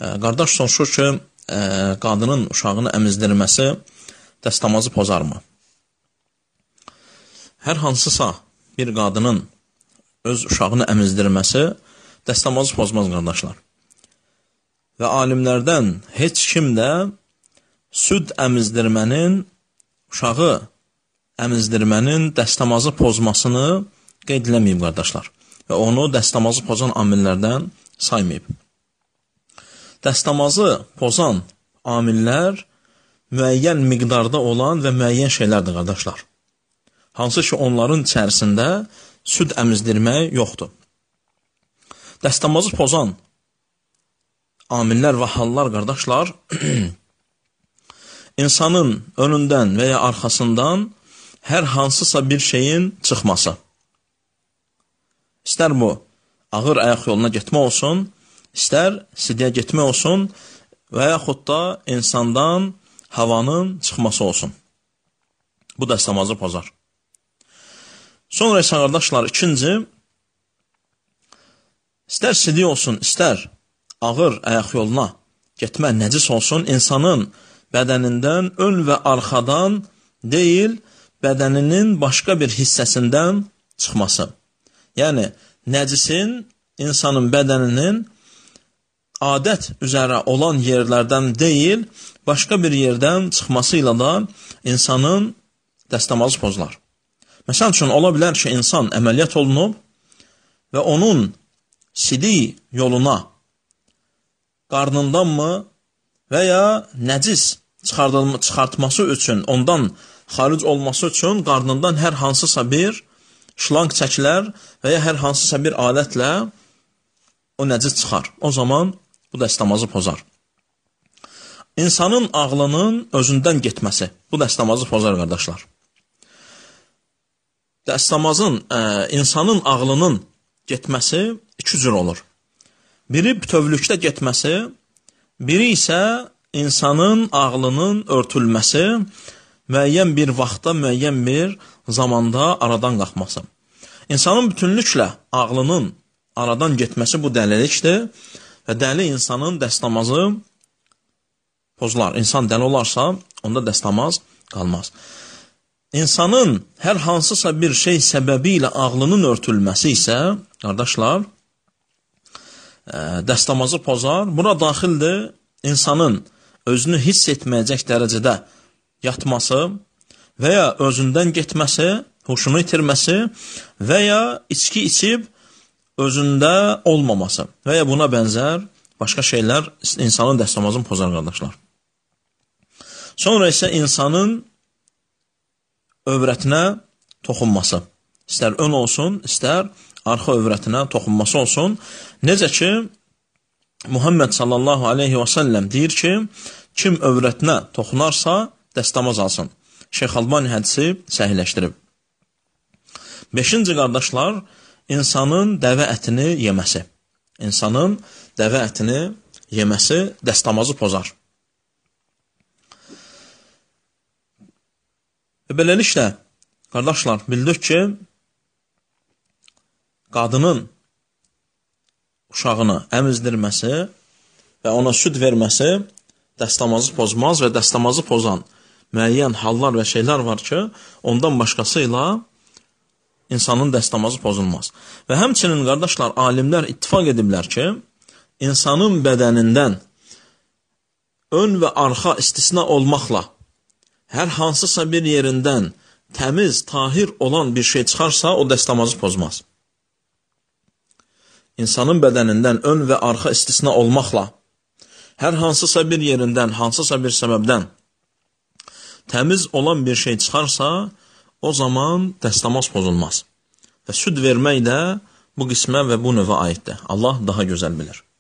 Qardaş soruşur ki, qadının uşağını əmizdirməsi dəstəmazı pozarmı? Hər hansısa bir qadının öz uşağını əmizdirməsi dəstəmazı pozmaz, qardaşlar. Və alimlərdən heç kim də süd əmizdirmənin, uşağı əmizdirmənin dəstəmazı pozmasını qeyd eləməyib, qardaşlar. Və onu dəstəmazı pozan amillərdən saymayıb. Dəstəmazı pozan amillər müəyyən miqdarda olan və müəyyən şeylərdir, qardaşlar. Hansı ki, onların içərisində süd əmizdirmək yoxdur. Dəstəmazı pozan amillər və hallar, qardaşlar, insanın önündən və ya arxasından hər hansısa bir şeyin çıxması. İstər bu, ağır ayaq yoluna getmə olsun, istər sidiyə getmək olsun və yaxud da insandan havanın çıxması olsun. Bu dəstəmazı pozar. Sonra isə, qardaşlar, ikinci, istər sidiyə olsun, istər ağır ayaq yoluna getmə nəcis olsun, insanın bədənindən ön və arxadan deyil, bədəninin başqa bir hissəsindən çıxması. Yəni, nəcisin insanın bədəninin adət üzərə olan yerlərdən deyil, başqa bir yerdən çıxması ilə da insanın dəstəmazı pozular. Məsəl üçün, ola bilər ki, insan əməliyyat olunub və onun sidik yoluna qarnındanmı və ya nəcis çıxartması üçün, ondan xaric olması üçün qarnından hər hansısa bir şlanq çəkilər və ya hər hansısa bir alətlə o nəcis çıxar. O zaman bu dəstəmazı pozar. İnsanın ağlının özündən getməsi, bu dəstəmazı pozar, qardaşlar. İnsanın ağlının getməsi iki cür olur. Biri bütövlükdə getməsi, biri isə insanın ağlının örtülməsi, müəyyən bir vaxtda, müəyyən bir zamanda aradan qalxması. İnsanın bütünlüklə ağlının aradan getməsi bu dəlilikdir və dəli insanın dəstəmazı pozular. İnsan dəli olarsa, onda dəstəmaz qalmaz. İnsanın hər hansısa bir şey səbəbi ilə ağlının örtülməsi isə, qardaşlar, dəstəmazı pozar. Buna daxildir insanın özünü hiss etməyəcək dərəcədə yatması və ya özündən getməsi, huşunu itirməsi və ya içki içib özündə olmaması və ya buna bənzər başqa şeylər insanın dəstəmazını pozar, qardaşlar. Sonra isə insanın övrətinə toxunması. İstər ön olsun, istər arxa övrətinə toxunması olsun. Necə ki, Muhammed sallallahu aleyhi və səlləm deyir ki, kim övrətinə toxunarsa, dəstəmaz alsın. Şeyx Albani hədisi səhihləşdirib. 5-ci, qardaşlar, insanın dəvə ətini yeməsi. İnsanın dəvə ətini yeməsi dəstəmazı pozar. Və beləliklə, qardaşlar, bildik ki, qadının uşağını əmizdirməsi və ona süd verməsi dəstəmazı pozmaz və dəstəmazı pozan müəyyən hallar və şeylər var ki, ondan başqası ilə insanın dəstəmazı pozulmaz. Və həmçinin, qardaşlar, alimlər ittifaq ediblər ki, insanın bədənindən ön və arxa istisna olmaqla hər hansısa bir yerindən təmiz, tahir olan bir şey çıxarsa, o dəstəmazı pozmaz. İnsanın bədənindən ön və arxa istisna olmaqla hər hansısa bir yerindən, hansısa bir səbəbdən təmiz olan bir şey çıxarsa, o zaman dəstəmaz pozulmaz. Və süd vermək də bu qismə və bu növə aiddir. Allah daha gözəl bilir.